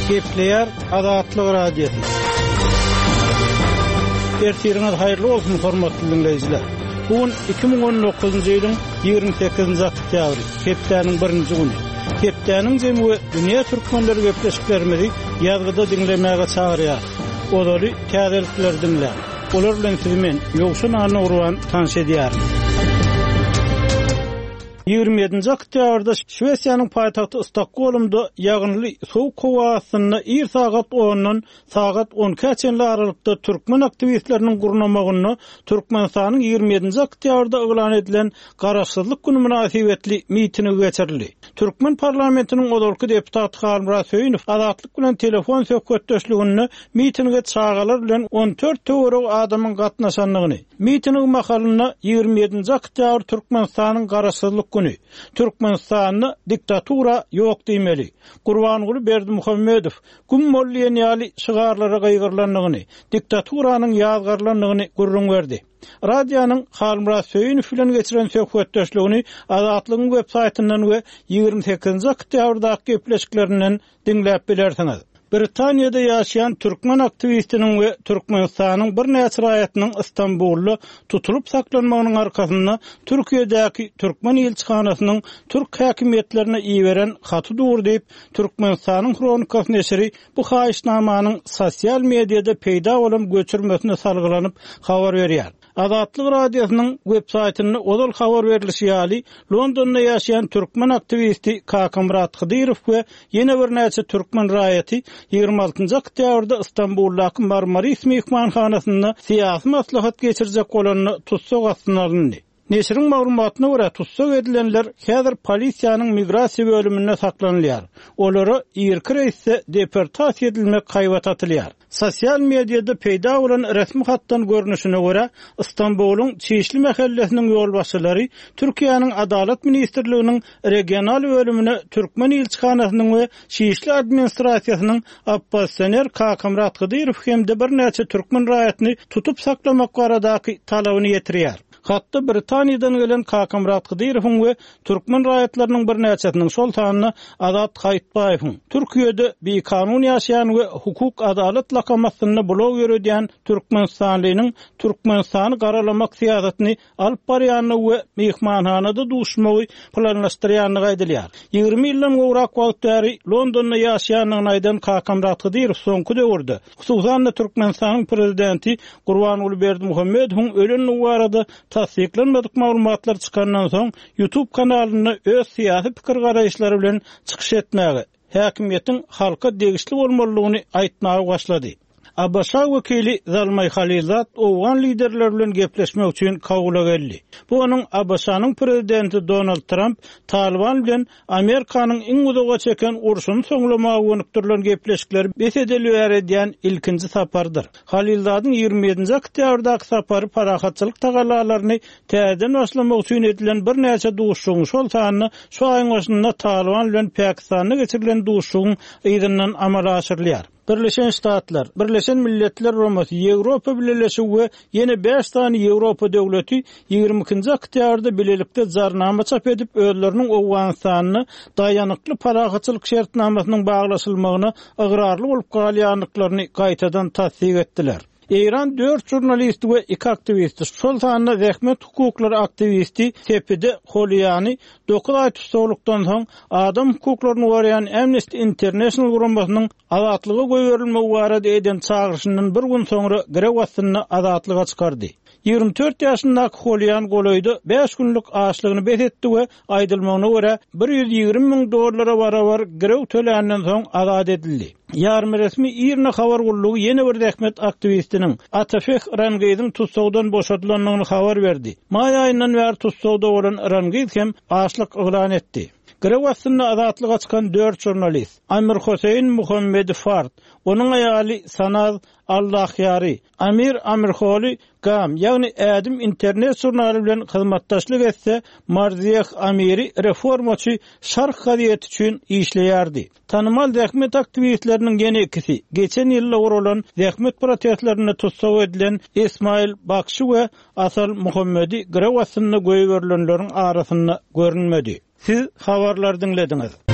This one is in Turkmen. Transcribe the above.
Gepleýär Azatlyk Radiosy. Ertiriňiz haýyrly bolsun, hormatly diňleýjiler. Bu gün 2019-njy ýylyň 28-nji oktýabry, hepdäniň birinji güni. Hepdäniň jemi we dünýä türkmenleri gepleşiklerimizi ýazgyda diňlemäge çagyrýar. Ozaly täzelikleri diňläň. Olar bilen sizi men, Ýowşan Annagurban tanyş edýärin. 27-nji oktýabrda Şwesiýanyň paýtagty Stokgolmda ýagynly sowuk howa astynda ir sagat ondan sagat on ikä çenli aralykda türkmen aktiwistleriniň gurnamagynda Türkmenistanyň 27-nji oktýabrda yglan edilen Garaşsyzlyk güni mynasybetli mitingi geçirildi. Türkmen parlamentiniň ozalky deputaty Halmyrat Söýünow Azatlyk bilen telefon söhbetdeşliginde mitinge çagalar bilen 14 töweregi adamyň gatnaşandygyny, miting mahalynda 27-nji oktýabr Türkmenistanyň Garaşsyzlyk güni, Türkmenistanda diktatura ýok diýmeli, Gurbanguly Berdimuhamedow, güm bol diýen ýaly şygarlara gygyrylandygyny, diktaturanyň ýazgarylandygyny gürrüň berdi. Radionyň Halmyrat Söýünow bilen geçiren söhbetdeşligini Azatlygyň web saýtyndan we 28-nji oktýabrdaky gepleşiklerinden diňläp bilersiňiz. Britaniýada ýaşaýan türkmen aktiwistiniň we Türkmenistanyň birnäçe raýatynyň Stambulda tutulyp saklanmagynyň arkasynda Türkiýedäki türkmen ilçihanasynyň türk häkimiýetlerine iberen haty dur diýip, Türkmenistanyň Hronikasy neşiri bu haýyşnamanyň sosial mediada peýda bolan göçürmesine salgylanyp habar berýär. Azatlyk Radiosynyň websaýtynda ozal habar berlişi ýaly, Londonda ýaşaýan türkmen aktiwisti Kakamyrat Hydyrow we ýene birnäçe türkmen raýaty 26-njy oktýabrda Stambuldaky Marmaris myhmanhanasynda syýasy maslahat geçirjek bolanda tussag astyna alyndy. Neşiriň maglumatyna görä, tussag edilenler häzir polisiýanyň migrasiýa bölüminde saklanylýar. Olara irki reýsde deportasiýa edilmek haýbaty atylýar. Sosial mediada peýda bolan resmi hatdan görnüşine görä, Stambulyň Çişli mähellesiniň ýolbaşçylary Türkiýäniň Adalat ministrliginiň regional bölümine türkmen ilçihanasynyň we Şişli administrasiýasynyň oppozisioner Kakamyrat Hydyrow hem-de birnäçe türkmen raýatyny tutup saklamak baradaky talabyny ýetirýär. Hatda Britaniýadan gelen Kakamyrat Hydyrowyň we türkmen raýatlarynyň birnäçesiniň, şol sanda Azat Haýytbaýewiň, Türkiýede bikanun ýaşaýan we Hukuk Adalat lakamy astynda blog ýöredýän türkmenistanlynyň Türkmenistany garalamak syýasatyny alyp barýandygy we myhmanhanada duşmagy planlaşdyrýandygy aýdylýar. 20 ýyldan gowrak wagt bäri Londonda ýaşaýandygyny aýdan Kakamyrat Hydyrow soňky döwürde, hususan-da Türkmenistanyň prezidenti Gurbanguly Berdimuhamedowyň ölendigi barada tassyklanmadyk maglumatlar çykandan soň, YouTube kanalynda öz syýasy pikir-garaýyşlary bilen çykyş etmäge, häkimiýetiň halka degişli bolmalydygyny aýtmaga başlady. ABŞ wekili Zalmaý Halilzad owgan liderleri bilen gepleşmek üçin Kabula geldi. Bu onuň ABŞ-nyň prezidenti Donald Tramp Talyban bilen Amerikanyň iň uzaga çeken urşuny soňlamaga gönükdirilen gepleşikleri bes edeli bäri edýän ilkinji saparydyr. Halilzadyň 27-nji oktýabrdaky sapary parahatçylyk tagallalaryny täzeden başlamak üçin edilen birnäçe duşuşygyň, şol sanda şu aýyň başynda Talyban bilen Pakistanda geçirilen duşuşygyň yzyndan amala aşyrylýar. Birleşen Ştatlar, Birleşen Milletler Guramasy, Ýewropa Bileleşigi we ýene bäş sany Ýewropa döwleti 22-nji oktýabrda bilelikde jarnama çap edip, özleriniň Owganystanda daýanykly parahatçylyk şertnamasynyň baglaşylmagyna ygrarly bolup galýandyklaryny gaýtadan tassyk etdiler. Eýran dört žurnalisti we iki aktiwisti, şol sanda zähmet hukuklary aktiwisti Sepide Holiýany dokuz aý tussaglykdan soň adam hukuklaryny goraýan Amnesty International guramasynyň azatlyga goýberilmegi barada eden çagyryşyndan bir gün soňra girew astynda azatlyga çykardy. 24 ýaşyndaky Holiýan golaýda bäş günlük açlygyny bes etdi we aýdylmagyna görä, 120 müň dollara barabar girew töländen soň azat edildi. Ýarymresmi IRNA habar gullugy ýene bir zähmet aktiwistiniň, Atafeh Rangiziň tussagdan boşadylandygyny habar berdi. Maý aýyndan bäri tussagda bolan Rangiz hem açlyk yglan etdi. Girew astynda azatlyga çykan dört žurnalist, Amirhoseýin Muhammedi Fard, onuň aýaly Sanaz Allahyary, Amir Amirholi Gam, ýagny Ädim internet žurnaly bilen hyzmatdaşlyk etse, Marzieh Amiri reformaçy Şark gazeti üçin işleýärdi. Tanymal zähmet aktiwistleriniň ýene ikisi, geçen ýylda guralan zähmet protestlerinde tussag edilen Esmail Bakşy we Asal Muhammedi girew astynda goýberilenleriň arasynda görünmedi. Siz habarlary diňlediňiz.